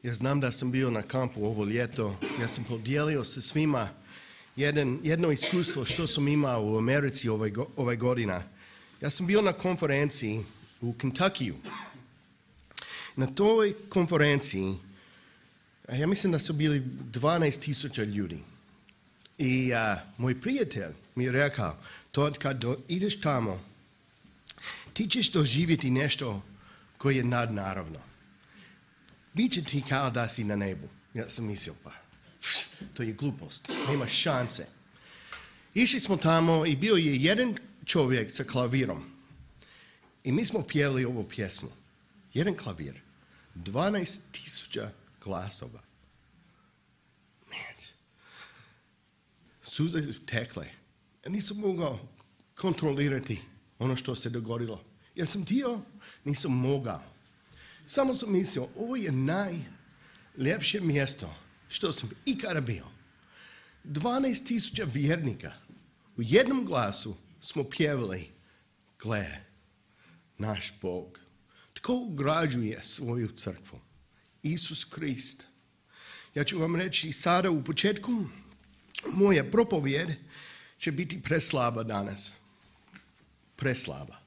Ja znam da sam bio na kampu ovo ljeto. Ja sam podijelio sa svima jedno iskustvo što sam imao u Americi ove godine. Ja sam bio na konferenciji u Kentuckyu. Na toj konferenciji, ja mislim da su bili 12,000 ljudi. I moj prijatelj mi je rekao, kad ideš tamo, ti ćeš doživjeti nešto koje je nadnaravno. Biće ti kao da si na nebu. Ja sam mislio, pa, to je glupost, nema šanse. Išli smo tamo i bio je jedan čovjek sa klavirom. I mi smo pjevali ovu pjesmu. Jedan klavir. 12,000 glasova. Suze su tekle. Ja nisam mogao kontrolirati ono što se dogodilo. Ja sam htio, nisam mogao. Samo sam mislio, ovo je najljepše mjesto što sam ikada bio. 12,000 vjernika. U jednom glasu smo pjevali, gle, naš Bog. Tko ugrađuje svoju crkvu? Isus Krist. Ja ću vam reći sada u početku, moja propovjed će biti preslaba danas. Preslaba.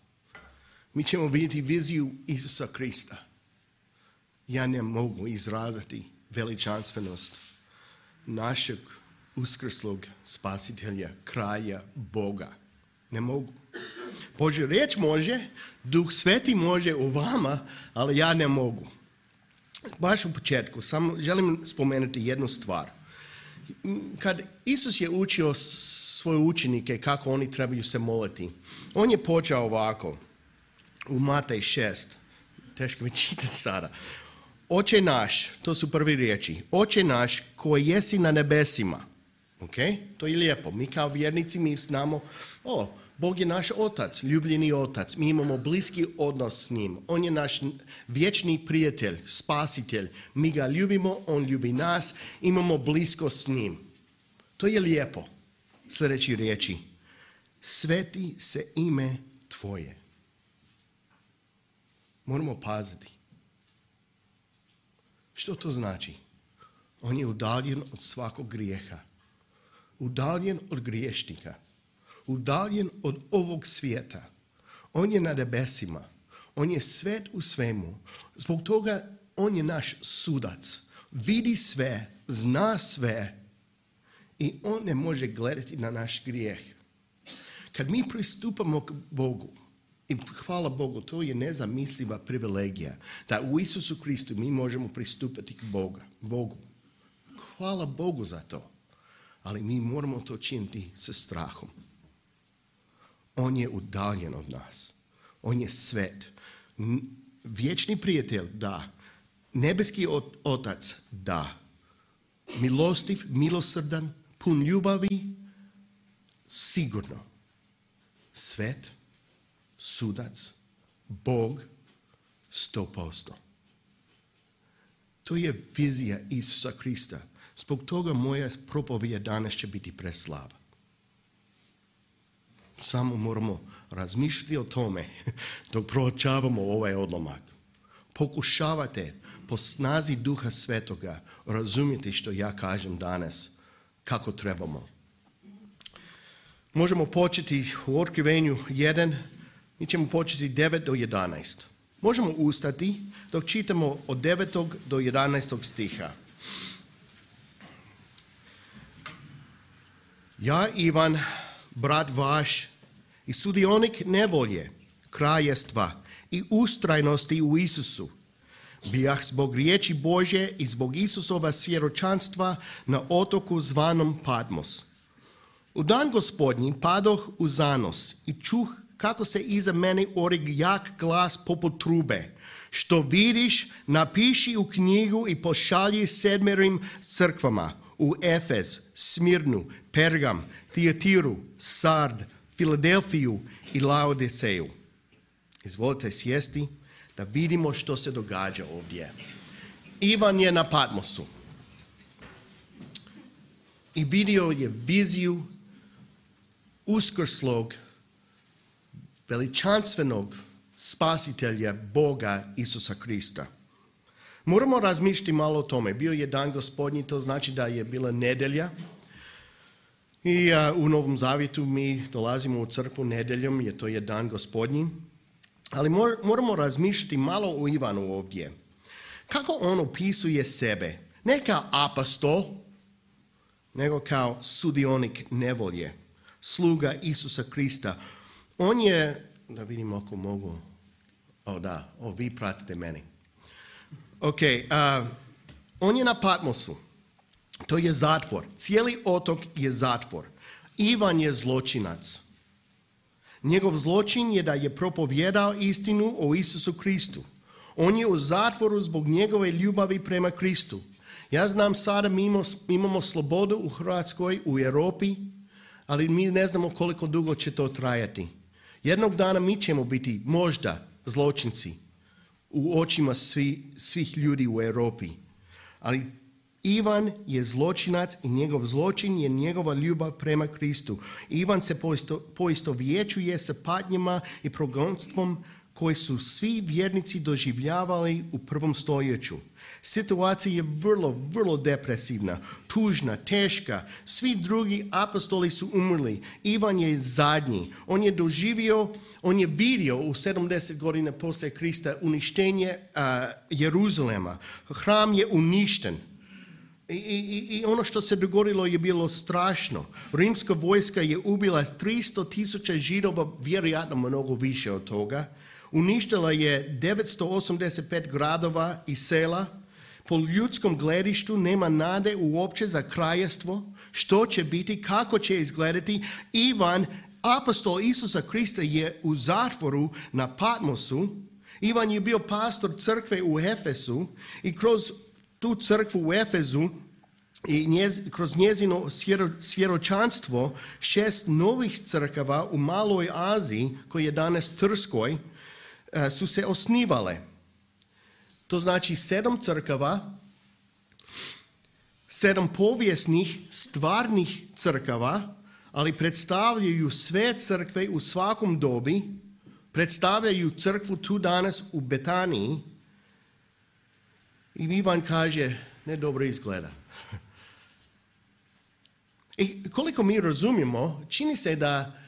Mi ćemo vidjeti viziju Isusa Krista. Ja ne mogu izraziti veličanstvenost našeg uskrslog spasitelja, kralja Boga. Ne mogu. Božja riječ može, Duh Sveti može u vama, ali ja ne mogu. Baš u početku, samo želim spomenuti jednu stvar. Kad Isus je učio svoje učenike kako oni trebaju se moliti, on je počeo ovako, u Matej 6, teško mi čitati sada. Oče naš, to su prvi riječi, Oče naš koji jesi na nebesima. Okay? To je lijepo. Mi kao vjernici mi znamo, Bog je naš otac, ljubljeni otac. Mi imamo bliski odnos s njim. On je naš vječni prijatelj, spasitelj. Mi ga ljubimo, on ljubi nas. Imamo bliskost s njim. To je lijepo. Sljedeći riječi. Sveti se ime tvoje. Moramo paziti. Što to znači? On je udaljen od svakog grijeha. Udaljen od griješnika. Udaljen od ovog svijeta. On je na nebesima. On je svet u svemu. Zbog toga on je naš sudac. Vidi sve, zna sve i on ne može gledati na naš grijeh. Kad mi pristupamo k Bogu, i hvala Bogu, to je nezamisliva privilegija, da u Isusu Kristu mi možemo pristupati k Bogu. Hvala Bogu za to. Ali mi moramo to činiti sa strahom. On je udaljen od nas. On je svet. Vječni prijatelj, da. Nebeski otac, da. Milostiv, milosrdan, pun ljubavi, sigurno. Svet, sudac, Bog, 100%. To je vizija Isusa Krista. Zbog toga moja propovijed danas će biti preslaba. Samo moramo razmišljati o tome dok proučavamo ovaj odlomak. Pokušavate po snazi Duha Svetoga razumjeti što ja kažem danas, kako trebamo. Možemo početi u Otkrivenju 1, mi ćemo početi 9 do 11. Možemo ustati dok čitamo od 9. do 11. stiha. Ja, Ivan, brat vaš i sudionik nevolje, kraljestva i ustrajnosti u Isusu, bijah zbog riječi Božje i zbog Isusova svjedočanstva na otoku zvanom Patmos. U dan Gospodnji padoh u zanos i čuh kako se iza mene orig jak glas poput trube. Što vidiš, napiši u knjigu i pošalji 7 crkvama, u Efez, Smirnu, Pergam, Tijatiru, Sard, Filadelfiju i Laodiceju. Izvolite sjesti da vidimo što se događa ovdje. Ivan je na Patmosu i vidio je viziju uskrslog, veličanstvenog spasitelja Boga Isusa Krista. Moramo razmišljati malo o tome. Bio je dan Gospodnji, to znači da je bila nedjelja. I u Novom Zavjetu mi dolazimo u crkvu nedjeljom, jer to je dan Gospodnji. Ali moramo razmišljati malo o Ivanu ovdje. Kako on opisuje sebe? Ne kao apostol, nego kao sudionik nevolje, sluga Isusa Krista. On je, da vidimo ako mogu, vi pratite meni. On je na Patmosu, to je zatvor, cijeli otok je zatvor. Ivan je zločinac. Njegov zločin je da je propovjedao istinu o Isusu Kristu. On je u zatvoru zbog njegove ljubavi prema Kristu. Ja znam sada mi imamo slobodu u Hrvatskoj, u Europi, ali mi ne znamo koliko dugo će to trajati. Jednog dana mi ćemo biti možda zločinci u očima svih ljudi u Europi. Ali Ivan je zločinac i njegov zločin je njegova ljubav prema Kristu. Ivan se poistovjećuje sa patnjama i progonstvom koji su svi vjernici doživljavali u prvom stoljeću. Situacija je vrlo, vrlo depresivna, tužna, teška. Svi drugi apostoli su umrli. Ivan je zadnji. On je vidio u 70 godina poslije Krista uništenje Jeruzalema. Hram je uništen. I ono što se dogodilo je bilo strašno. Rimska vojska je ubila 300,000 Židova, vjerojatno mnogo više od toga. Uništila je 985 gradova i sela. Po ljudskom gledištu nema nade uopće za kraljevstvo. Što će biti, kako će izgledati. Ivan, apostol Isusa Krista, je u zatvoru na Patmosu. Ivan je bio pastor crkve u Efesu i kroz tu crkvu u Efezu i kroz njezino svjedočanstvo 6 novih crkava u Maloj Aziji, koji je danas Trskoj, su se osnivale. To znači 7 crkava, 7 povijesnih, stvarnih crkava, ali predstavljaju sve crkve u svakom dobi, predstavljaju crkvu tu danas u Betaniji. I Ivan kaže, ne dobro izgleda. I koliko mi razumijemo, čini se da,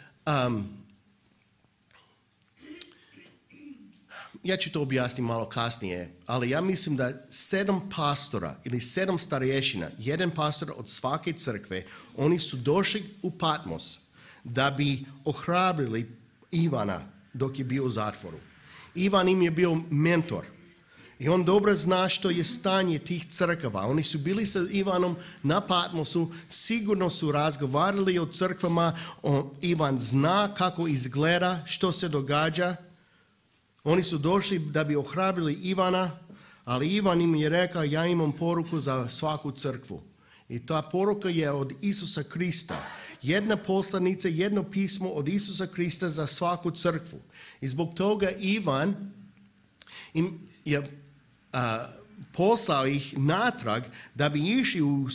ja ću to objasniti malo kasnije, ali ja mislim da 7 pastora ili 7 starješina, jedan pastor od svake crkve, oni su došli u Patmos da bi ohrabrili Ivana dok je bio u zatvoru. Ivan im je bio mentor. I on dobro zna što je stanje tih crkava. Oni su bili sa Ivanom na Patmosu, sigurno su razgovarali o crkvama, Ivan zna kako izgleda, što se događa. Oni su došli da bi ohrabrili Ivana, ali Ivan im je rekao, ja imam poruku za svaku crkvu. I ta poruka je od Isusa Krista. Jedna poslanica, jedno pismo od Isusa Krista za svaku crkvu. I zbog toga Ivan im je poslao ih natrag da bi išli u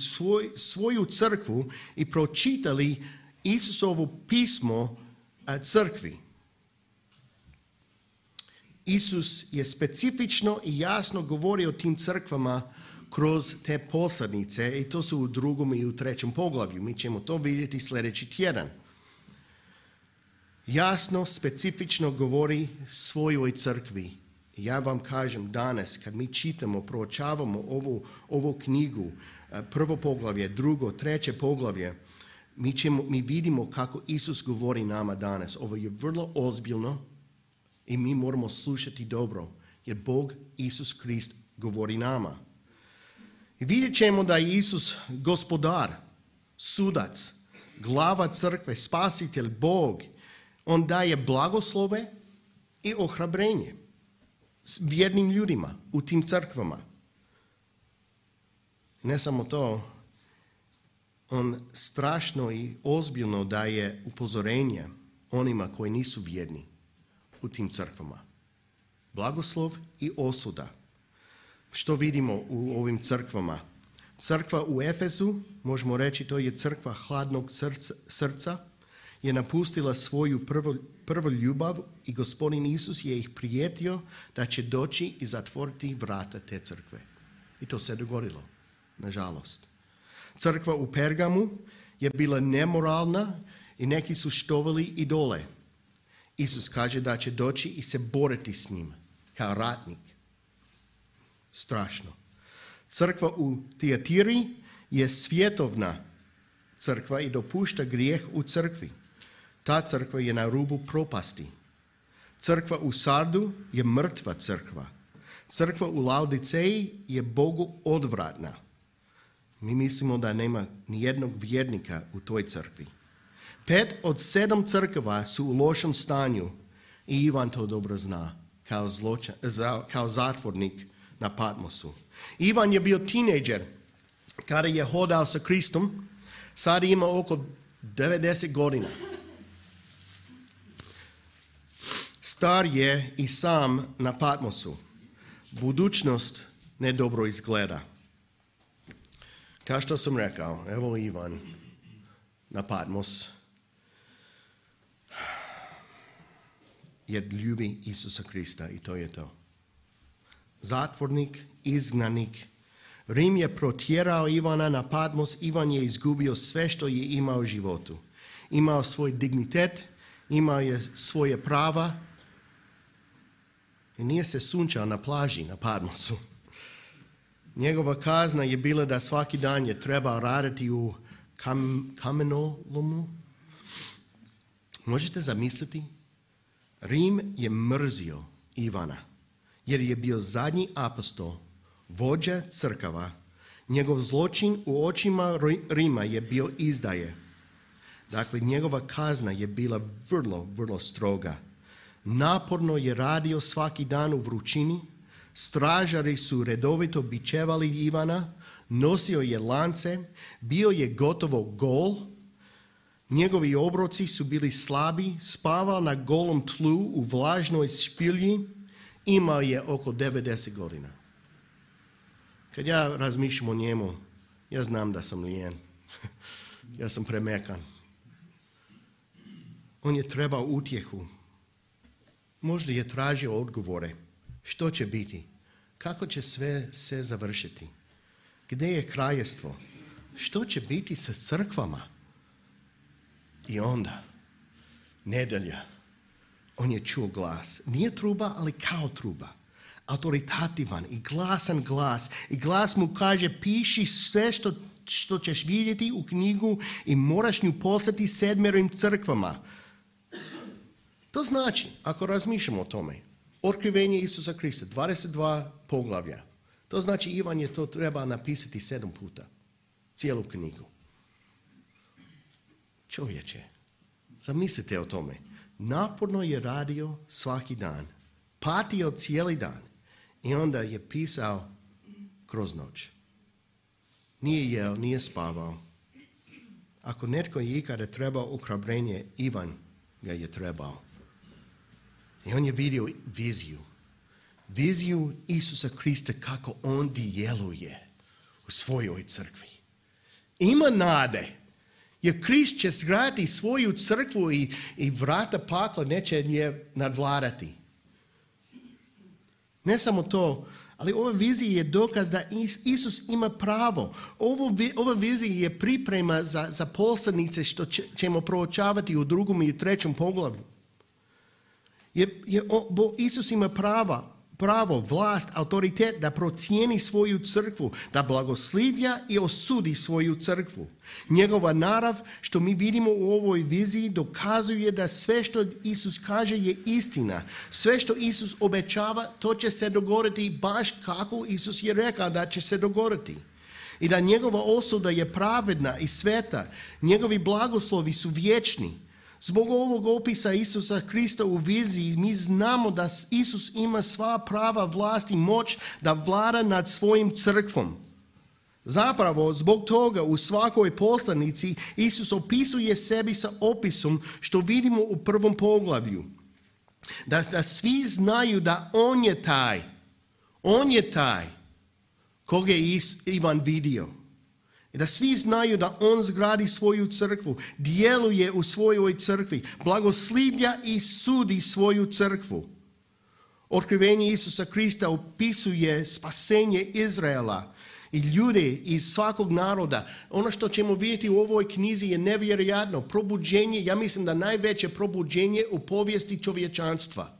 svoju crkvu i pročitali Isusovo pismo crkvi. Isus je specifično i jasno govorio o tim crkvama kroz te poslanice i to su u 2. i u 3. poglavlju. Mi ćemo to vidjeti sljedeći tjedan. Jasno, specifično govori svojoj crkvi. Ja vam kažem danas, kad mi čitamo, proučavamo ovu knjigu, 1. poglavlje, 2., 3. poglavlje, mi vidimo kako Isus govori nama danas. Ovo je vrlo ozbiljno i mi moramo slušati dobro, jer Bog, Isus Krist, govori nama. I vidjet ćemo da je Isus gospodar, sudac, glava crkve, spasitelj, Bog. On daje blagoslove i ohrabrenje vjernim ljudima u tim crkvama. Ne samo to, on strašno i ozbiljno daje upozorenje onima koji nisu vjerni u tim crkvama. Blagoslov i osuda. Što vidimo u ovim crkvama? Crkva u Efezu, možemo reći to je crkva hladnog srca, je napustila svoju prvu ljubav i Gospodin Isus je ih prijetio da će doći i zatvoriti vrata te crkve. I to se dogodilo, nažalost. Crkva u Pergamu je bila nemoralna i neki su štovali idole. Isus kaže da će doći i se boriti s njim kao ratnik. Strašno. Crkva u Tiatiri je svjetovna crkva i dopušta grijeh u crkvi. Ta crkva je na rubu propasti. Crkva u Sardu je mrtva crkva. Crkva u Laodiceji je Bogu odvratna. Mi mislimo da nema ni jednog vjernika u toj crkvi. 5 od 7 crkva su u lošem stanju i Ivan to dobro zna kao zatvornik na Patmosu. Ivan je bio tinejdžer kada je hodao sa Kristom, sad ima oko 90 godina. Star je i sam na Patmosu. Budućnost ne dobro izgleda. Kao što sam rekao, evo Ivan na Patmos, jer ljubi Isusa Krista i to je to. Zatvornik, izgnanik. Rim je protjerao Ivana na Patmos, Ivan je izgubio sve što je imao u životu. Imao svoj dignitet, imao je svoje prava i nije se sunčao na plaži na Patmosu. Njegova kazna je bila da svaki dan je trebao raditi u kamenolomu. Možete zamisliti? Rim je mrzio Ivana jer je bio zadnji apostol, vođa crkava. Njegov zločin u očima Rima je bio izdaje. Dakle, njegova kazna je bila vrlo, vrlo stroga. Naporno je radio svaki dan u vrućini. Stražari su redovito bičevali Ivana, nosio je lance, bio je gotovo gol. Njegovi obroci su bili slabi, spavao na golom tlu u vlažnoj špilji, imao je oko 90 godina. Kad ja razmišljam o njemu, ja znam da sam lijen. Ja sam premekan. On je trebao utjehu. Možda je tražio odgovore. Što će biti? Kako će sve se završiti? Gdje je kraljestvo? Što će biti sa crkvama? I onda, nedjelja, on je čuo glas. Nije truba, ali kao truba. Autoritativan i glasan glas. I glas mu kaže, piši sve što ćeš vidjeti u knjigu i moraš nju poslati 7 crkvama. To znači, ako razmišljamo o tome, otkrivenje Isusa Krista, 22 poglavlja. To znači Ivan je to treba napisati 7 puta. Cijelu knjigu. Čovječe, zamislite o tome. Naporno je radio svaki dan. Patio cijeli dan. I onda je pisao kroz noć. Nije jeo, nije spavao. Ako netko je ikada trebao ohrabrenje, Ivan ga je trebao. I on je vidio viziju. Viziju Isusa Krista kako on djeluje u svojoj crkvi. Ima nade. Jer Krist će zgraditi svoju crkvu i vrata pakla neće nje nadvladati. Ne samo to, ali ova vizija je dokaz da Isus ima pravo. Ova vizija je priprema za poslanice što ćemo proučavati u 2. i 3. poglavlju. Isus ima pravo, vlast, autoritet da procijeni svoju crkvu, da blagoslivlja i osudi svoju crkvu. Njegova narav, što mi vidimo u ovoj viziji, dokazuje da sve što Isus kaže je istina. Sve što Isus obećava, to će se dogoditi baš kako Isus je rekao da će se dogoditi. I da njegova osuda je pravedna i sveta. Njegovi blagoslovi su vječni. Zbog ovog opisa Isusa Krista u viziji mi znamo da Isus ima sva prava, vlast i moć da vlada nad svojim crkvom. Zapravo, zbog toga u svakoj poslanici Isus opisuje sebi sa opisom što vidimo u 1. poglavlju. Da svi znaju da on je taj koga je Ivan vidio. I da svi znaju da on zgradi svoju crkvu, djeluje u svojoj crkvi, blagoslivlja i sudi svoju crkvu. Otkrivenje Isusa Krista opisuje spasenje Izraela i ljude iz svakog naroda. Ono što ćemo vidjeti u ovoj knjizi je nevjerojatno. Probuđenje, ja mislim da najveće probuđenje u povijesti čovječanstva.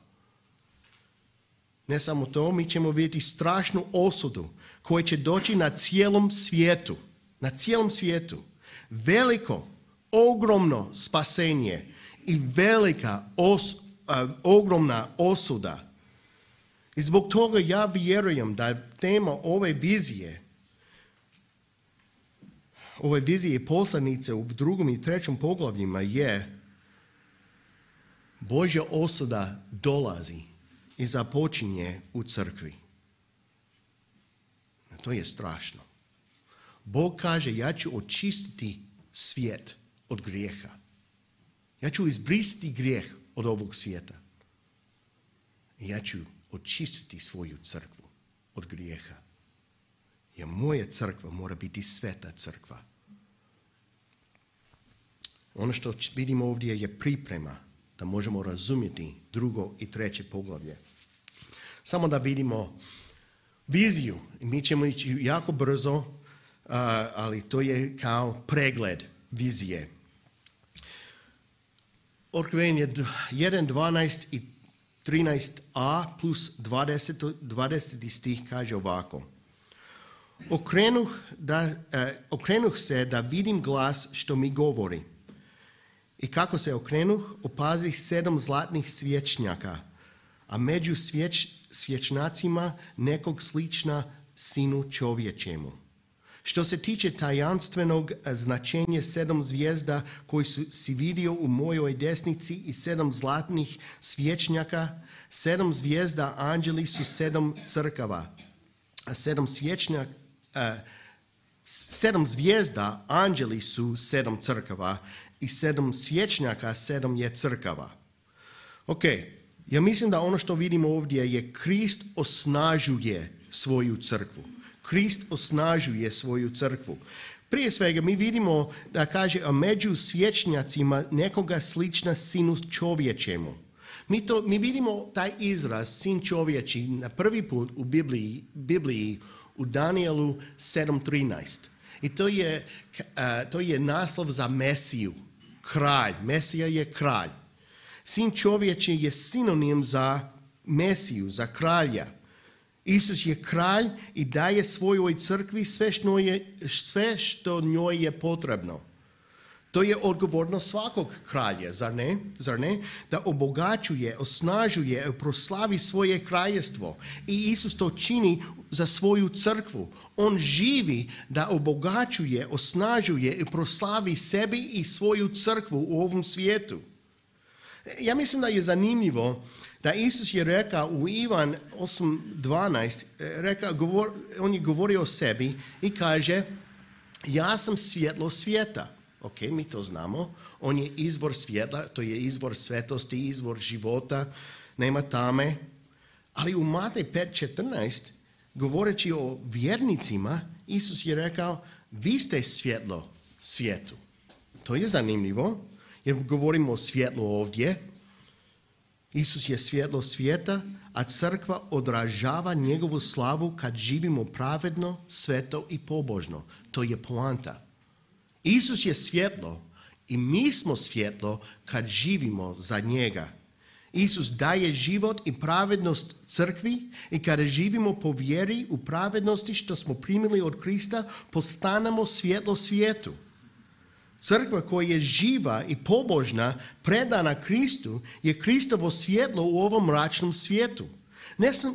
Ne samo to, mi ćemo vidjeti strašnu osudu koja će doći na cijelom svijetu. Na cijelom svijetu. Veliko, ogromno spasenje i velika, ogromna osuda. I zbog toga ja vjerujem da tema ove vizije poslanice u 2. i 3. poglavljima je Božja osuda dolazi i započinje u crkvi. To je strašno. Bog kaže, ja ću očistiti svijet od grijeha. Ja ću izbrisati grijeh od ovog svijeta. I ja ću očistiti svoju crkvu od grijeha. Jer moja crkva mora biti sveta crkva. Ono što vidimo ovdje je priprema da možemo razumjeti 2. i 3. poglavlje. Samo da vidimo viziju. Mi ćemo ići jako brzo, ali to je kao pregled vizije. Otkrivenje 1:12 i 13a plus 20. stih kaže ovako. Okrenuh se da vidim glas što mi govori. I kako se okrenuh, opazih 7 zlatnih svječnjaka, a među svječnacima nekog slična sinu čovječemu. Što se tiče tajanstvenog značenja 7 zvijezda koji si vidio u mojoj desnici i 7 zlatnih svječnjaka, 7 zvijezda anđeli su 7 crkava, a 7 zvijezda anđeli su 7 crkava i 7 svječnjaka 7 je crkava. Ok, ja mislim da ono što vidimo ovdje je Krist osnažuje svoju crkvu. Krist osnažuje svoju crkvu. Prije svega mi vidimo da kaže, a među svječnjacima nekoga slična sinu čovječemu. Mi vidimo taj izraz sin čovječi na prvi put u Bibliji u Danielu 7:13. I to je naslov za Mesiju, kralj. Mesija je kralj. Sin čovječi je sinonim za Mesiju, za kralja. Isus je kralj i daje svojoj crkvi sve što njoj je potrebno. To je odgovornost svakog kralja, zar ne? Da obogaćuje, osnažuje i proslavi svoje kraljevstvo. I Isus to čini za svoju crkvu. On živi da obogaćuje, osnažuje i proslavi sebi i svoju crkvu u ovom svijetu. Ja mislim da je zanimljivo da Isus je rekao u Ivan 8:12, on je govorio o sebi i kaže, ja sam svjetlo svijeta. Ok, mi to znamo. On je izvor svjetla, to je izvor svetosti, izvor života, nema tame. Ali u Matej 5:14, govoreći o vjernicima, Isus je rekao, vi ste svjetlo svijetu. To je zanimljivo, jer govorimo o svjetlu ovdje. Isus je svjetlo svijeta, a crkva odražava njegovu slavu kad živimo pravedno, sveto i pobožno. To je poanta. Isus je svjetlo i mi smo svjetlo kad živimo za njega. Isus daje život i pravednost crkvi i kada živimo po vjeri u pravednosti što smo primili od Krista, postanemo svjetlo svijetu. Crkva koja je živa i pobožna, predana Kristu, je Kristovo svjetlo u ovom mračnom svijetu.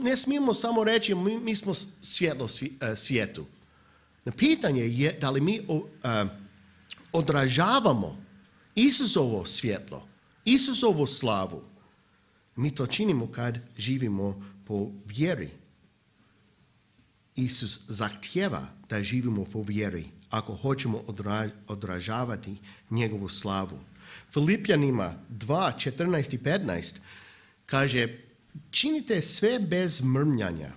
Ne smijemo samo reći mi smo svjetlo svijetu. Na pitanje je da li mi odražavamo Isusovo svjetlo, Isusovu slavu. Mi to činimo kad živimo po vjeri. Isus zahtijeva da živimo po vjeri ako hoćemo odražavati njegovu slavu. Filipljanima 2:14 i 15 kaže, činite sve bez mrmljanja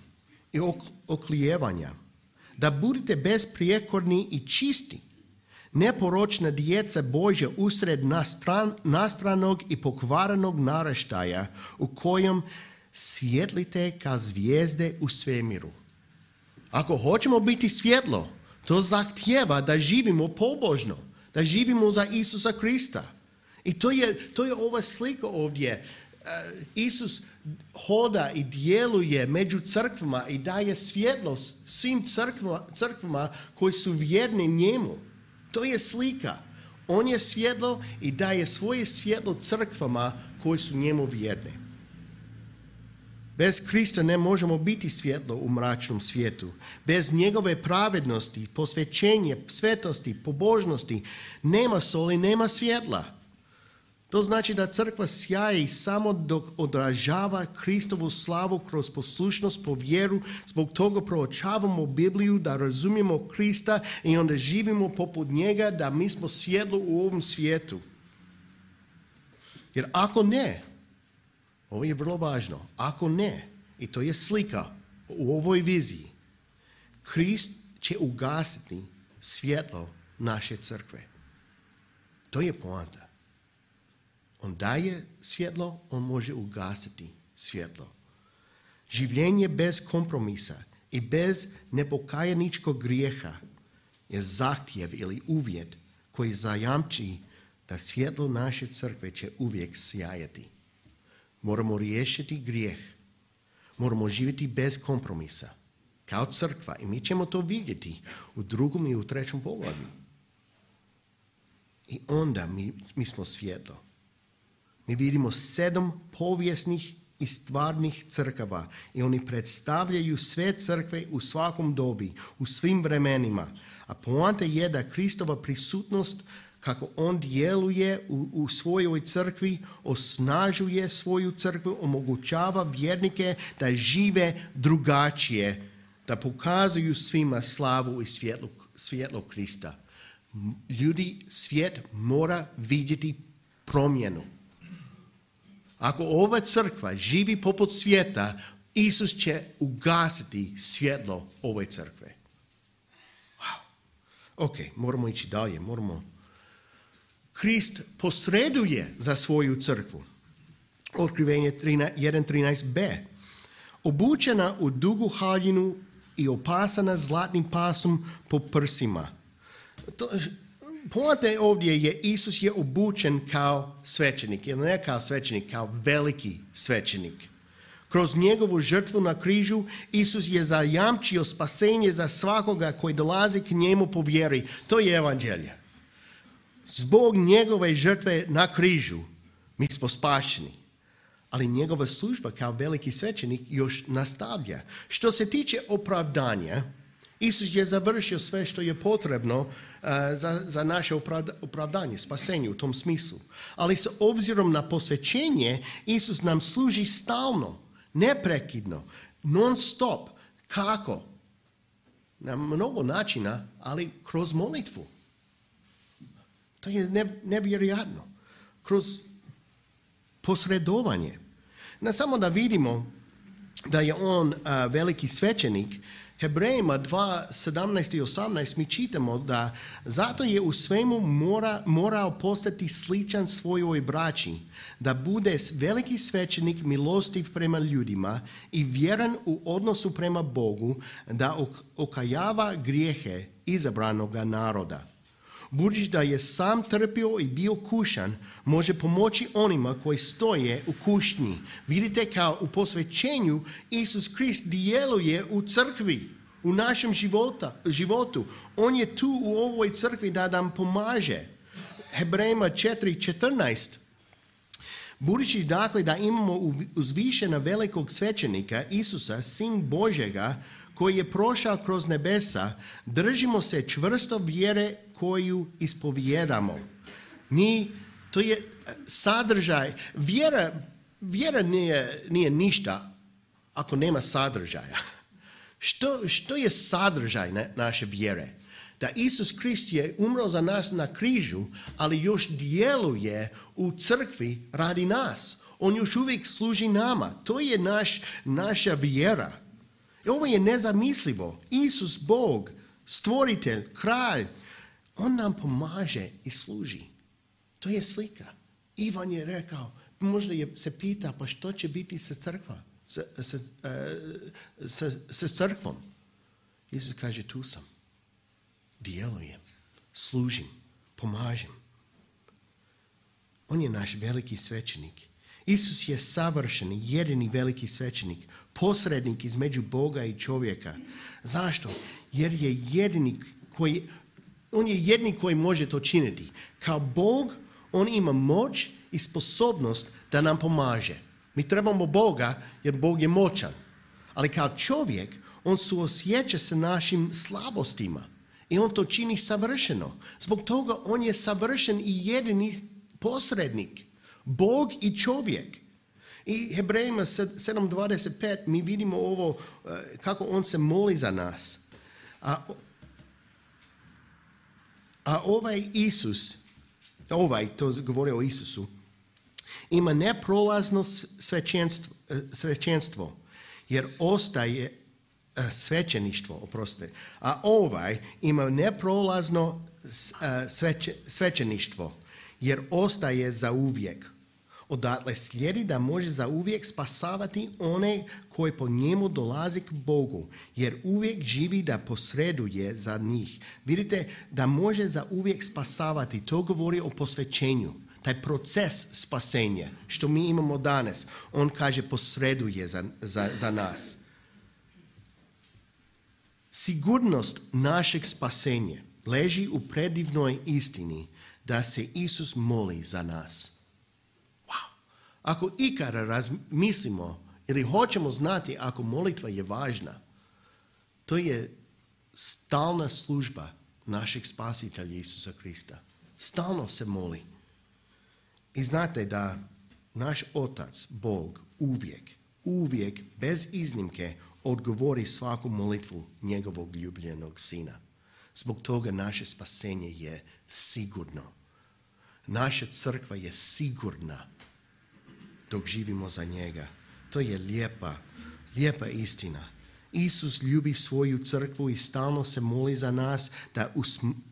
i oklijevanja, da budete besprijekorni i čisti, neporočna djeca Božja usred nastranog i pokvarenog naraštaja u kojem svjetlite kao zvijezde u svemiru. Ako hoćemo biti svjetlo, to zahtijeva da živimo pobožno, da živimo za Isusa Krista. I to je ova slika ovdje. Isus hoda i djeluje među crkvama i daje svjetlost svim crkvama koji su vjerni njemu. To je slika. On je svjetlo i daje svoje svjetlo crkvama koji su njemu vjerni. Bez Krista ne možemo biti svjetlo u mračnom svijetu. Bez njegove pravednosti, posvećenja, svetosti, pobožnosti nema soli, nema svjetla. To znači da crkva sjaji samo dok odražava Kristovu slavu kroz poslušnost po vjeru. Zbog toga proučavamo Bibliju da razumijemo Krista i onda živimo poput njega, da mi smo svjetlo u ovom svijetu. Jer ako ne, ovo je vrlo važno, ako ne, i to je slika u ovoj viziji, Krist će ugasiti svjetlo naše crkve. To je poanta. On daje svjetlo, on može ugasiti svjetlo. Življenje bez kompromisa i bez nepokajaničkog grijeha je zahtjev ili uvjet koji zajamči da svjetlo naše crkve će uvijek sjajati. Moramo riješiti grijeh. Moramo živjeti bez kompromisa. Kao crkva. I mi ćemo to vidjeti u 2. i u 3. poglavlju. I onda mi smo svjetlo. Mi vidimo 7 povijesnih i stvarnih crkava i oni predstavljaju sve crkve u svakom dobi, u svim vremenima. A poanta je da Kristova prisutnost, kako on djeluje u svojoj crkvi, osnažuje svoju crkvu, omogućava vjernike da žive drugačije, da pokazuju svima slavu i svjetlo Krista. Ljudi, svijet mora vidjeti promjenu. Ako ova crkva živi poput svijeta, Isus će ugasiti svjetlo ove crkve. Wow. Ok, moramo ići dalje. Krist posreduje za svoju crkvu. Otkrivenje 1.13b. Obučena u dugu haljinu i opasana zlatnim pasom po prsima. Poanta ovdje je Isus je obučen kao svećenik, ili ne kao svećenik, kao veliki svećenik. Kroz njegovu žrtvu na križu Isus je zajamčio spasenje za svakoga koji dolazi k njemu po vjeri. To je evanđelje. Zbog njegove žrtve na križu mi smo spašeni. Ali njegova služba kao veliki svećenik još nastavlja. Što se tiče opravdanja, Isus je završio sve što je potrebno za naše opravdanje, spasenje u tom smislu. Ali s obzirom na posvećenje, Isus nam služi stalno, neprekidno, non stop. Kako? Na mnogo načina, ali kroz molitvu. To je nevjerojatno. Kroz posredovanje. Ne samo da vidimo da je on veliki svećenik, Hebrejima 2.17 i 18 mi čitamo da zato je u svemu morao postati sličan svojoj braći, da bude veliki svećenik milostiv prema ljudima i vjeran u odnosu prema Bogu, da okajava grijehe izabranoga naroda. Budući da je sam trpio i bio kušan, može pomoći onima koji stoje u kušnji. Vidite kao u posvećenju Isus Krist djeluje u crkvi, u našem životu. On je tu u ovoj crkvi da nam pomaže. Hebrejima 4.14. Budući dakle da imamo uzvišena velikog svećenika Isusa, sin Božjega, koji je prošao kroz nebesa, držimo se čvrsto vjere koju ispovijedamo. To je sadržaj. Vjera nije ništa ako nema sadržaja. Što je sadržaj naše vjere? Da Isus Krist je umro za nas na križu, ali još djeluje u crkvi radi nas. On još uvijek služi nama. To je naša vjera. Ovo je nezamislivo. Isus, Bog, stvoritelj, kralj, on nam pomaže i služi. To je slika. Ivan je rekao, možda se pita, pa što će biti sa crkva? sa crkvom. Isus kaže, tu sam. Djelujem. Služim. Pomažem. On je naš veliki svećenik. Isus je savršen, jedini veliki svećenik. Posrednik između Boga i čovjeka. Zašto? Jer je on je jedini koji može to činiti. Kao Bog, on ima moć i sposobnost da nam pomaže. Mi trebamo Boga jer Bog je moćan. Ali kao čovjek, on suosjeća sa našim slabostima. I on to čini savršeno. Zbog toga on je savršen i jedini posrednik. Bog i čovjek. I Hebrejima 7.25 mi vidimo ovo kako on se moli za nas. A ovaj Isus, to govori o Isusu, ima neprolazno svećenstvo, jer ostaje svećeništvo, oprostite. A ovaj ima neprolazno svećeništvo, jer ostaje za uvijek. Odatle slijedi da može za uvijek spasavati one koji po njemu dolazi k Bogu, jer uvijek živi da posreduje za njih. Vidite, da može za uvijek spasavati, to govori o posvećenju. Taj proces spasenja, što mi imamo danas, on kaže posreduje za nas. Sigurnost našeg spasenja leži u predivnoj istini da se Isus moli za nas. Ako ikada razmislimo ili hoćemo znati ako molitva je važna, to je stalna služba našeg spasitelja Isusa Krista. Stalno se moli. I znate da naš Otac, Bog, uvijek, bez iznimke, odgovori svaku molitvu njegovog ljubljenog Sina. Zbog toga naše spasenje je sigurno. Naša crkva je sigurna dok živimo za njega. To je lijepa istina. Isus ljubi svoju crkvu i stalno se moli za nas da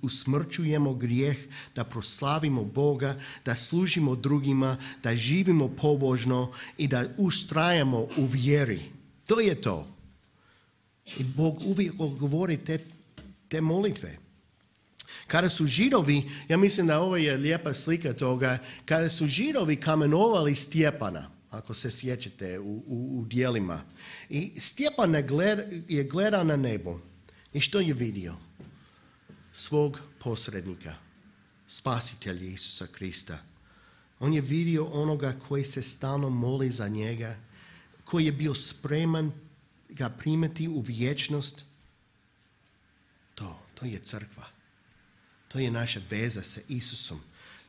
usmrćujemo grijeh, da proslavimo Boga, da služimo drugima, da živimo pobožno i da ustrajamo u vjeri. To je to. I Bog uvijek odgovori te molitve. Kada su Židovi, ja mislim da ovo je lijepa slika toga, kada su Židovi kamenovali Stjepana, ako se sjećate u djelima, i Stjepan je gledao na nebo i što je vidio? Svog posrednika, spasitelja Isusa Krista. On je vidio onoga koji se stalno moli za njega, koji je bio spreman ga primiti u vječnost. To je crkva. To je naša veza sa Isusom.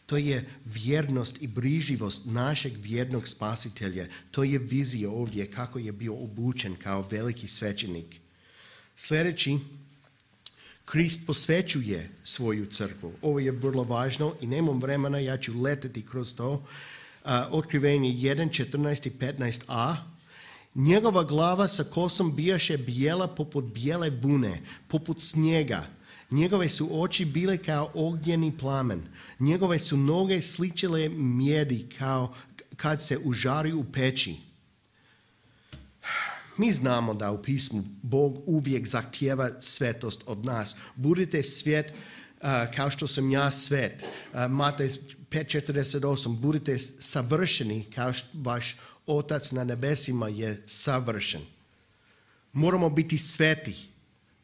To je vjernost i brižljivost našeg vjernog spasitelja. To je vizija ovdje kako je bio obučen kao veliki svećenik. Sljedeći, Krist posvećuje svoju crkvu. Ovo je vrlo važno i nemam vremena, ja ću leteti kroz to. Otkrivenje 1, 14 i 15a. Njegova glava sa kosom bijaše bijela poput bijele vune, poput snijega. Njegove su oči bile kao ognjeni plamen. Njegove su noge sličile mjedi kao kad se užari u peći. Mi znamo da u pismu Bog uvijek zahtijeva svetost od nas. Budite svet kao što sam ja svet. Matej 5.48. Budite savršeni kao vaš Otac na nebesima je savršen. Moramo biti sveti.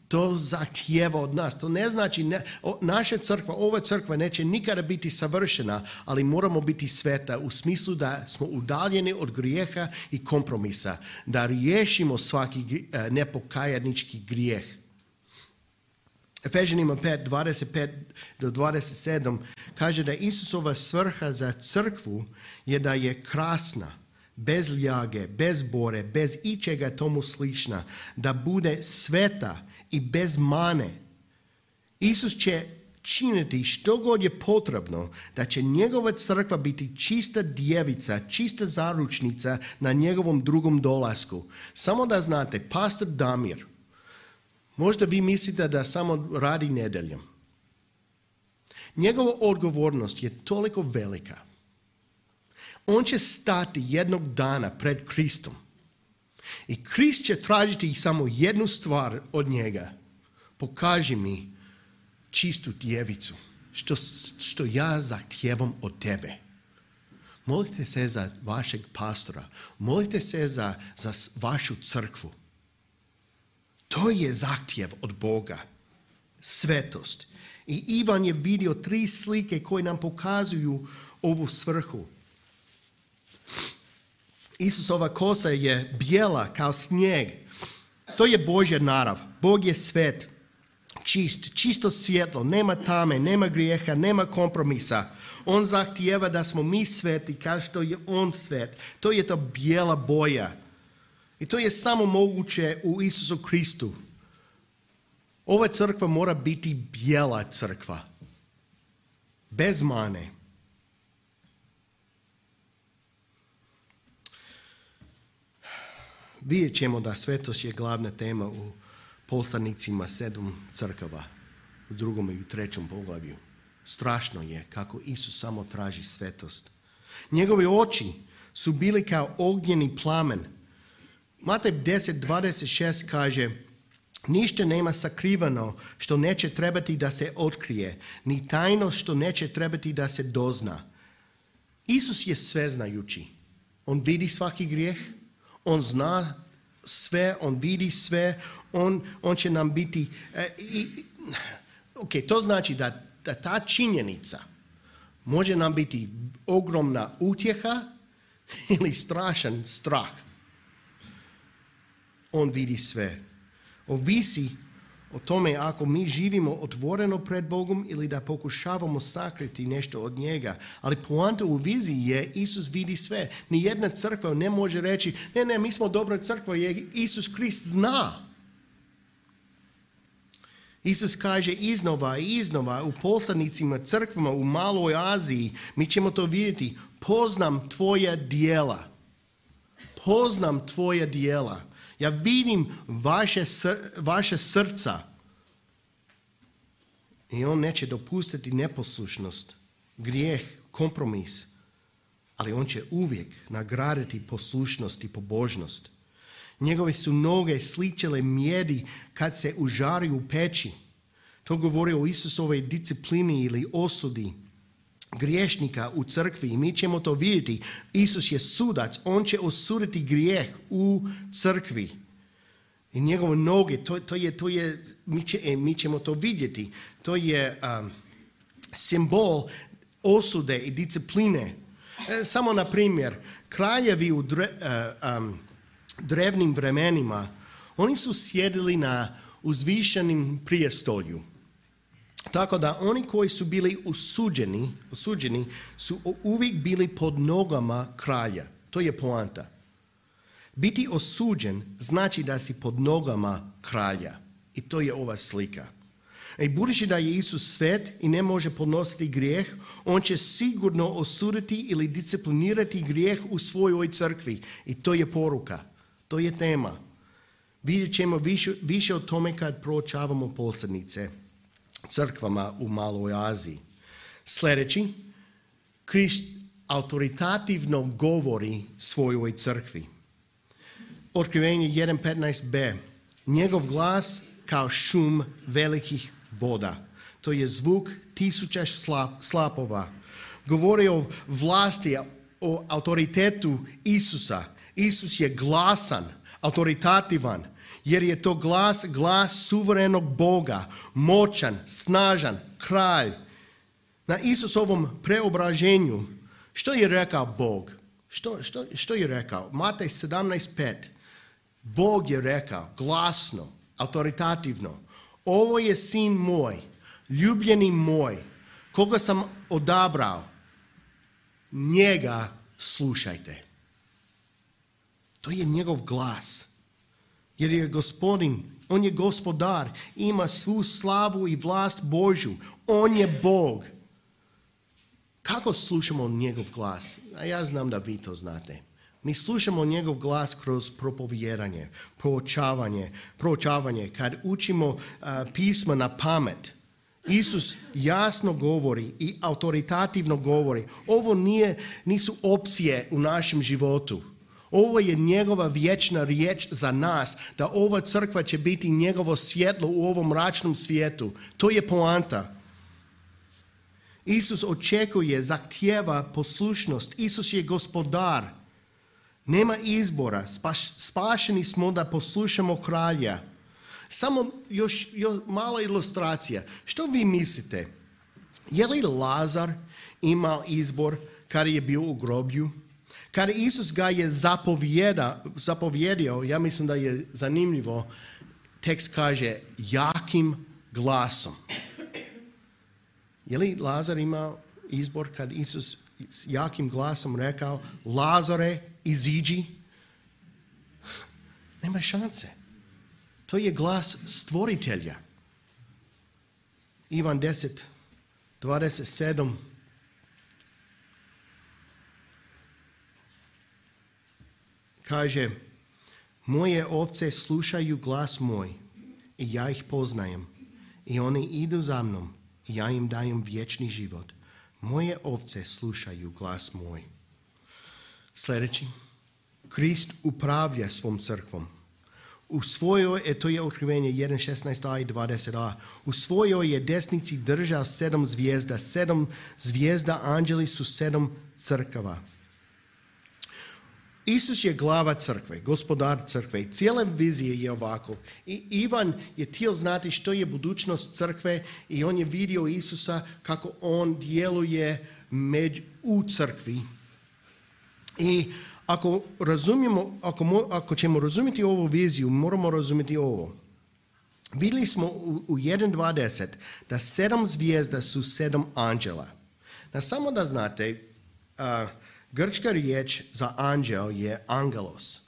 To zahtijeva od nas. To ne znači, naša crkva, ova crkva neće nikada biti savršena, ali moramo biti sveta u smislu da smo udaljeni od grijeha i kompromisa, da riješimo svaki nepokajanički grijeh. Efežanima 5, 25 do 27 kaže da Isusova svrha za crkvu je da je krasna, bez ljage, bez bore, bez ičega tomu slična, da bude sveta i bez mane. Isus će činiti što god je potrebno da će njegova crkva biti čista djevica, čista zaručnica na njegovom drugom dolasku. Samo da znate, pastor Damir, možda vi mislite da samo radi nedjeljom. Njegova odgovornost je toliko velika. On će stati jednog dana pred Kristom I Krist će tražiti samo jednu stvar od njega. Pokaži mi čistu djevicu, što ja zahtijevam od tebe. Molite se za vašeg pastora, molite se za vašu crkvu. To je zahtjev od Boga, svetost. I Ivan je vidio 3 slike koje nam pokazuju ovu svrhu. Isusova kosa je bijela kao snijeg. To je Božja narav. Bog je svet, čist, čisto svjetlo, nema tame, nema grijeha, nema kompromisa. On zahtijeva da smo mi sveti kao što je on svet. To je ta bijela boja. I to je samo moguće u Isusu Kristu. Ova crkva mora biti bijela crkva. Bez mane. Vidjet ćemo da svetost je glavna tema u poslanicima 7 crkava. U 2. i u 3. poglavlju. Strašno je kako Isus samo traži svetost. Njegove oči su bili kao ognjeni plamen. Matej 10:26 kaže: ništa nema sakrivano što neće trebati da se otkrije, ni tajno što neće trebati da se dozna. Isus je sveznajući. On vidi svaki grijeh, on zna sve, on vidi sve, on će nam biti... to znači da ta činjenica može nam biti ogromna utjeha ili strašan strah. On vidi sve. Ovisi o tome ako mi živimo otvoreno pred Bogom ili da pokušavamo sakriti nešto od njega. Ali poanta u viziji je Isus vidi sve. Nijedna crkva ne može reći ne, mi smo dobra crkva jer Isus Krist zna. Isus kaže iznova i iznova u poslanicima crkvama u Maloj Aziji, mi ćemo to vidjeti, poznam tvoja djela. Poznam tvoja djela. Ja vidim vaše srca. I on neće dopustiti neposlušnost, grijeh, kompromis. Ali on će uvijek nagraditi poslušnost i pobožnost. Njegove su noge sličile mjedi kad se užari u peći. To govori o Isusovoj disciplini ili osudi griješnika u crkvi. I mi ćemo to vidjeti. Isus je sudac. On će osuditi grijeh u crkvi. I njegove noge, mi ćemo to vidjeti. To je simbol osude i discipline. Samo na primjer, kraljevi u drevnim vremenima, oni su sjedili na uzvišenim prijestolju. Tako da oni koji su bili osuđeni su uvijek bili pod nogama kralja. To je poanta. Biti osuđen znači da si pod nogama kralja. I to je ova slika. I budući da je Isus svet i ne može podnositi grijeh, on će sigurno osuditi ili disciplinirati grijeh u svojoj crkvi. I to je poruka. To je tema. Vidjet ćemo više o tome kad proučavamo poslanice crkvama u Maloj Aziji. Sljedeći, Krist autoritativno govori svojoj crkvi. Otkrivenje 1.15b. Njegov glas kao šum velikih voda. To je zvuk 1000 slapova. Govori o vlasti, o autoritetu Isusa. Isus je glasan, autoritativan, jer je to glas suverenog Boga, moćan, snažan, kralj. Na Isusovom preobraženju, što je rekao Bog? Što je rekao? Matej 17.5. Bog je rekao glasno, autoritativno: ovo je sin moj, ljubljeni moj, koga sam odabrao. Njega slušajte. To je njegov glas. Jer je Gospodin, on je gospodar, ima svu slavu i vlast Božju. On je Bog. Kako slušamo njegov glas? A ja znam da vi to znate. Mi slušamo njegov glas kroz propovijedanje, proučavanje, kad učimo pisma na pamet. Isus jasno govori i autoritativno govori. Ovo nisu opcije u našem životu. Ovo je njegova vječna riječ za nas, da ova crkva će biti njegovo svjetlo u ovom mračnom svijetu. To je poanta. Isus očekuje, zahtijeva poslušnost. Isus je gospodar. Nema izbora. Spašeni smo da poslušamo kralja. Samo još mala ilustracija. Što vi mislite? Je li Lazar imao izbor kada je bio u groblju? Kada Isus ga je zapovjedio, ja mislim da je zanimljivo, tekst kaže jakim glasom. Je li Lazar imao izbor kad Isus s jakim glasom rekao Lazare, iziđi? Nema šanse. To je glas stvoritelja. Ivan 10:27. Kaže, moje ovce slušaju glas moj i ja ih poznajem i oni idu za mnom i ja im dajem vječni život. Moje ovce slušaju glas moj. Sljedeći. Krist upravlja svom crkvom. U svojoj, to je Otkrivenje 1:16a i 20a, u svojoj je desnici držao 7 zvijezda. 7 zvijezda, anđeli su 7 crkava. Isus je glava crkve, gospodar crkve. Cijela vizija je ovako. I Ivan je htio znati što je budućnost crkve i on je vidio Isusa kako on djeluje u crkvi. I ako ćemo razumjeti ovu viziju, moramo razumjeti ovo. Vidjeli smo u 1:20 da 7 zvijezda su 7 anđela. Samo da znate, grčka riječ za anđel je angelos.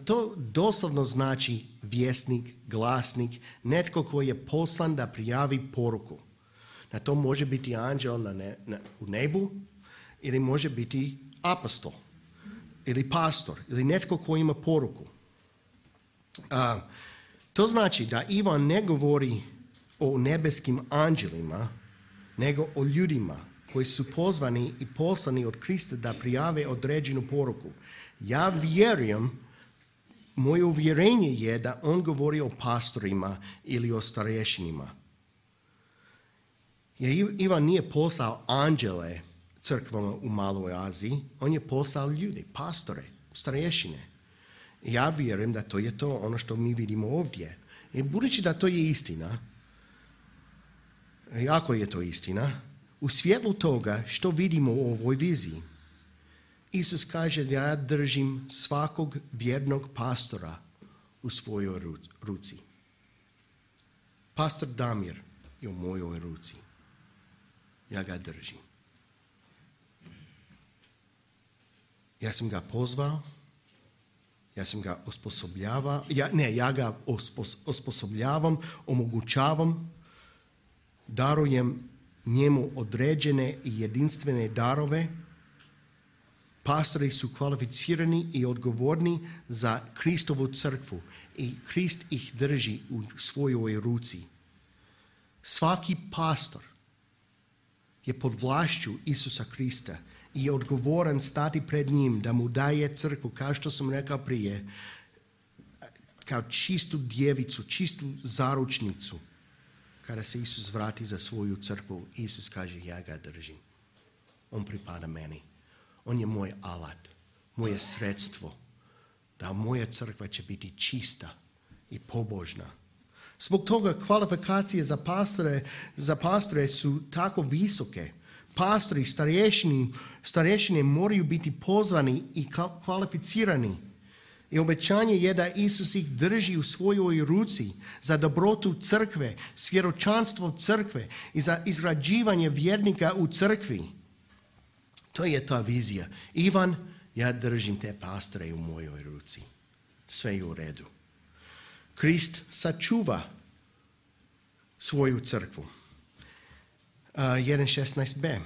To doslovno znači vjesnik, glasnik, netko koji je poslan da prijavi poruku. To može biti anđel u nebu ili može biti apostol ili pastor ili netko koji ima poruku. To znači da Ivan ne govori o nebeskim anđelima, nego o ljudima koji su pozvani i poslani od Krista da prijave određenu poruku. Ja vjerujem, moje uvjerenje je da on govori o pastorima ili o starješinima. Jer Ivan nije poslao anđele crkvama u Maloj Aziji, on je poslao ljude, pastore, starješine. Ja vjerujem da to je to ono što mi vidimo ovdje. I budući da to je istina, ako je to istina, u svjetlu toga što vidimo u ovoj viziji, Isus kaže da ja držim svakog vjernog pastora u svojoj ruci. Pastor Damir je u mojoj ruci. Ja ga držim. Ja sam ga pozvao, ja sam ga osposobljavao, ja ga osposobljavam, omogućavam, darujem njemu određene i jedinstvene darove. Pastori su kvalificirani i odgovorni za Kristovu crkvu i Krist ih drži u svojoj ruci. Svaki pastor je pod vlašću Isusa Krista i je odgovoran stati pred njim da mu daje crkvu, kao što sam rekao prije, kao čistu djevicu, čistu zaručnicu. Kada se Isus vrati za svoju crkvu, Isus kaže ja ga držim. On pripada meni. On je moj alat, moje sredstvo, da moja crkva će biti čista i pobožna. Zbog toga kvalifikacije za pastore su tako visoke. Pastori, starješine moraju biti pozvani i kvalificirani. I obećanje je da Isus ih drži u svojoj ruci za dobrotu crkve, svjedočanstvo crkve i za izgrađivanje vjernika u crkvi. To je ta vizija. Ivan, ja držim te pastore u mojoj ruci. Sve je u redu. Krist sačuva svoju crkvu. 1:16b.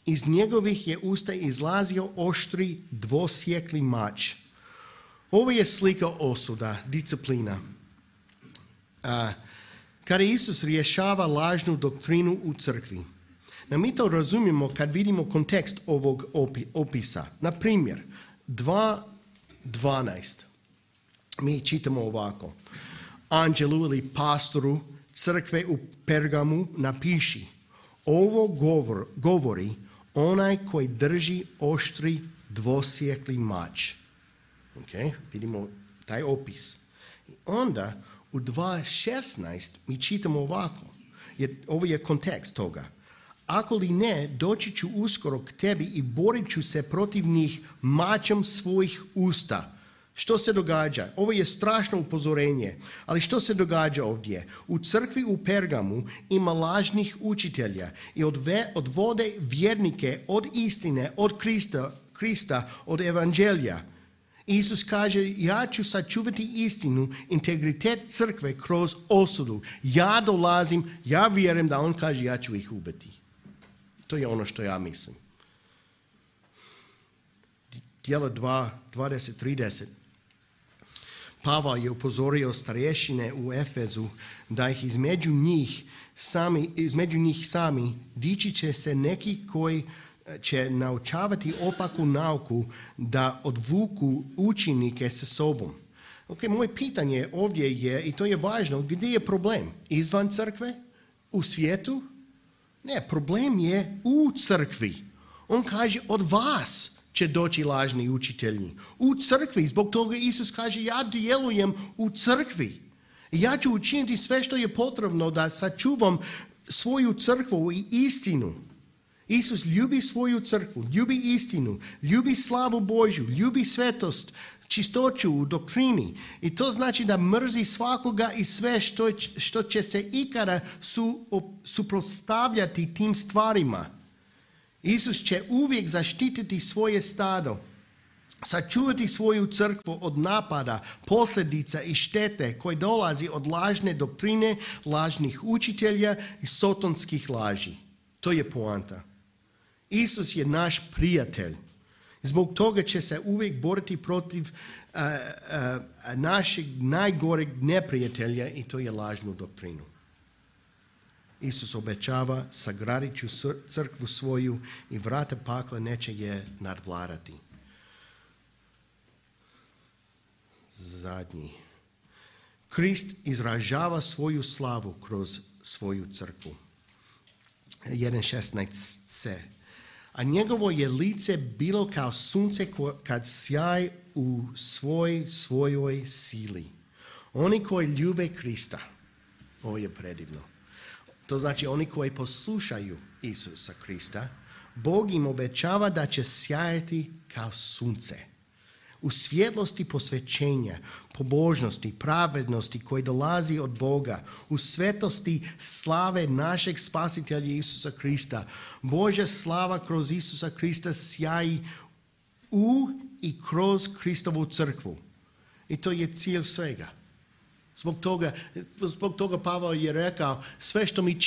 Iz njegovih je usta izlazio oštri dvosjekli mač. Ovo je slika osuda, disciplina. Kada Isus rješava lažnu doktrinu u crkvi. Mi to razumijemo kad vidimo kontekst ovog opisa. Na primjer, 12. Mi čitamo ovako. Anđelu ili pastoru crkve u Pergamu napiši: ovo govori onaj koji drži oštri dvosjekli mač. Okay? Vidimo taj opis. I onda u 2.16 mi čitamo ovako. Ovo je kontekst toga. Ako li ne, doći ću uskoro k tebi i borit ću se protiv njih mačem svojih usta. Što se događa? Ovo je strašno upozorenje, ali što se događa ovdje? U crkvi u Pergamu ima lažnih učitelja i odvode vjernike od istine, od Krista, od evanđelja. Isus kaže: ja ću sačuvati istinu, integritet crkve kroz osudu. Ja dolazim, ja vjerujem da on kaže: ja ću ih ubiti. To je ono što ja mislim. Djela 2:20-30. Pavao je upozorio starješine u Efezu da ih između njih sami dići će se neki koji će naučavati opaku nauku da odvuku učenike sa sobom. Okay, moje pitanje ovdje je, i to je važno, gdje je problem? Izvan crkve? U svijetu? Ne, problem je u crkvi. On kaže: od vas će doći lažni učitelji. U crkvi. Zbog toga Isus kaže: ja djelujem u crkvi. Ja ću učiniti sve što je potrebno da sačuvam svoju crkvu i istinu. Isus ljubi svoju crkvu, ljubi istinu, ljubi slavu Božju, ljubi svetost, čistoću u doktrini. I to znači da mrzi svakoga i sve što će se ikada suprotstavljati tim stvarima. Isus će uvijek zaštititi svoje stado, sačuvati svoju crkvu od napada, posljedica i štete koje dolazi od lažne doktrine, lažnih učitelja i sotonskih laži. To je poanta. Isus je naš prijatelj. Zbog toga će se uvijek boriti protiv našeg najgoreg neprijatelja, i to je lažnu doktrinu. Isus obećava: sagradit ću crkvu svoju i vrata pakla neće je nadvladati. Zadnji. Krist izražava svoju slavu kroz svoju crkvu. 1.16c. A njegovo je lice bilo kao sunce kad sjaj u svojoj sili. Oni koji ljube Krista. Ovo je predivno. To znači oni koji poslušaju Isusa Krista, Bog im obećava da će sjajati kao sunce. U svjetlosti posvećenja, pobožnosti, pravednosti koji dolazi od Boga, u svetosti slave našeg spasitelja Isusa Krista. Božja slava kroz Isusa Krista sjaji u i kroz Kristovu crkvu. I to je cilj svega. Zbog toga Pavao je rekao: sve što mi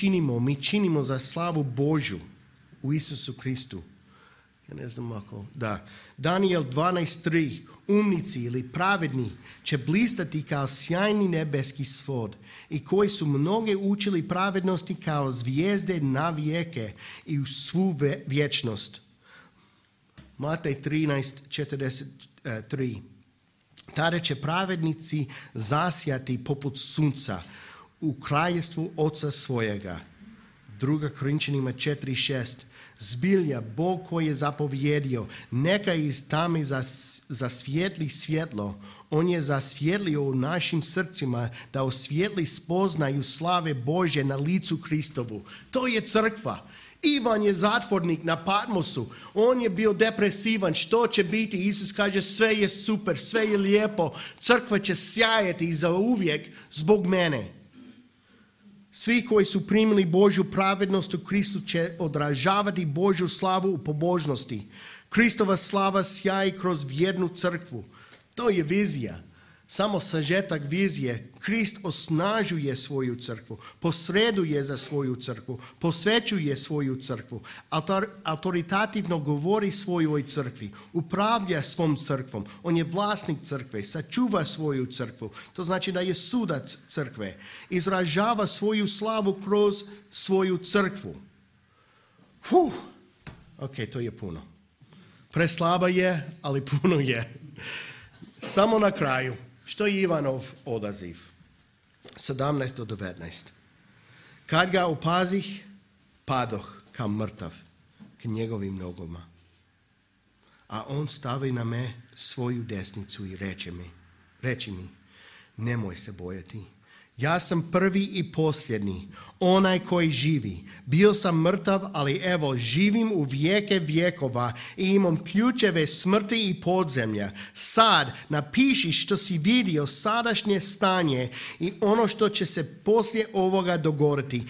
činimo za slavu Božju u Isusu Kristu. Ja ne znam ako... Da. Daniel 12.3. Umnici ili pravedni će blistati kao sjajni nebeski svod, i koji su mnoge učili pravednosti kao zvijezde na vijeke i u svu vječnost. Matej 13.43. Tada će pravednici zasjati poput sunca u kraljevstvu Oca svojega. 2. Korinčanima 4.6. Zbilja, Bog koji je zapovjedio: neka iz tame zasvijetli svjetlo. On je zasvjetlio u našim srcima da osvijetli spoznaju slave Božje na licu Kristovu. To je crkva. Ivan je zatvornik na Patmosu. On je bio depresivan. Što će biti? Isus kaže: sve je super, sve je lijepo. Crkva će sjajati za uvijek zbog mene. Svi koji su primili Božju pravednost u Kristu će odražavati Božju slavu u pobožnosti. Kristova slava sjaji kroz vjernu crkvu. To je vizija. Samo sažetak vizije. Krist osnažuje svoju crkvu, posreduje za svoju crkvu, posvećuje svoju crkvu, autoritativno govori svojoj crkvi, upravlja svom crkvom. On je vlasnik crkve, sačuva svoju crkvu. To znači da je sudac crkve. Izražava svoju slavu kroz svoju crkvu. Ok, to je puno. Preslaba je, ali puno je. Samo na kraju, što je Ivanov odaziv? 17 do 19. Kad ga opazih, padoh kao mrtav k njegovim nogama. A on stavi na me svoju desnicu i reči mi, nemoj se bojati. Ja sam prvi i posljednji, onaj koji živi. Bio sam mrtav, ali evo, živim u vijeke vjekova i imam ključeve smrti i podzemlja. Sad napiši što si vidio, sadašnje stanje i ono što će se poslije ovoga dogoditi.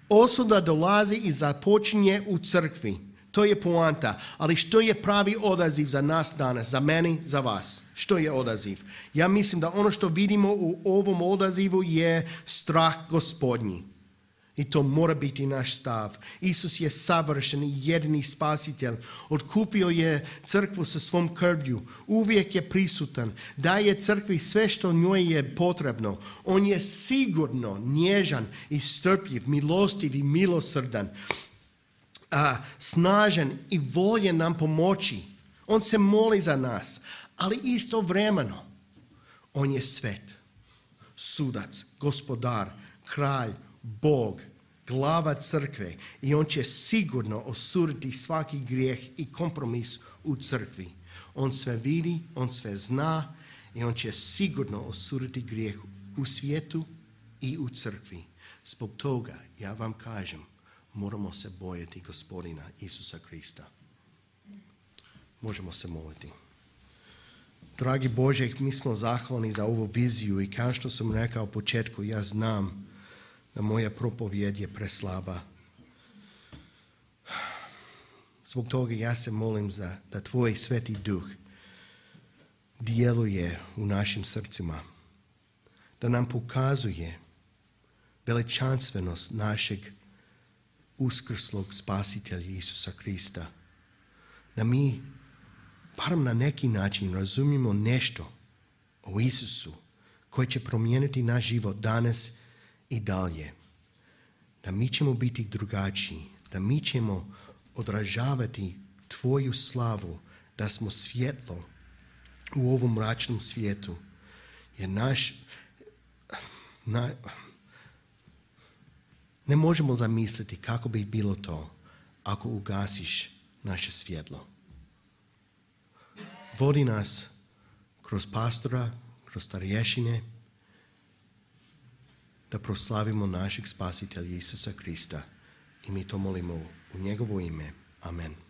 Osuda dolazi i započinje u crkvi. To je poanta. Ali što je pravi odaziv za nas danas, za mene, za vas? Što je odaziv? Ja mislim da ono što vidimo u ovom odazivu je strah Gospodnji. I to mora biti naš stav. Isus je savršen i jedini spasitelj. Otkupio je crkvu sa svom krvlju. Uvijek je prisutan. Daje crkvi sve što njoj je potrebno. On je sigurno nježan i strpljiv, milostiv i milosrdan. Snažan i voljen nam pomoći. On se moli za nas, ali istovremeno on je svet, sudac, gospodar, kralj, Bog, glava crkve i on će sigurno osuditi svaki grijeh i kompromis u crkvi. On sve vidi, on sve zna i on će sigurno osuditi grijeh u svijetu i u crkvi. Zbog toga ja vam kažem, moramo se bojati Gospodina Isusa Krista. Možemo se moliti. Dragi Bože, mi smo zahvalni za ovu viziju i kao što sam rekao u početku, ja znam da moja propovjed je preslaba. Zbog toga ja se molim da Tvoj Sveti Duh djeluje u našim srcima, da nam pokazuje veličanstvenost našeg uskrslog spasitelja Isusa Krista. Da mi, barem na neki način, razumijemo nešto o Isusu koji će promijeniti naš život danas i dalje. Da mi ćemo biti drugačiji, da mi ćemo odražavati Tvoju slavu, da smo svjetlo u ovom mračnom svijetu. Jer ne možemo zamisliti kako bi bilo to ako ugasiš naše svjetlo. Vodi nas kroz pastora, kroz starješine, da proslavimo našeg spasitelja Isusa Krista. I mi to molimo u njegovo ime. Amen.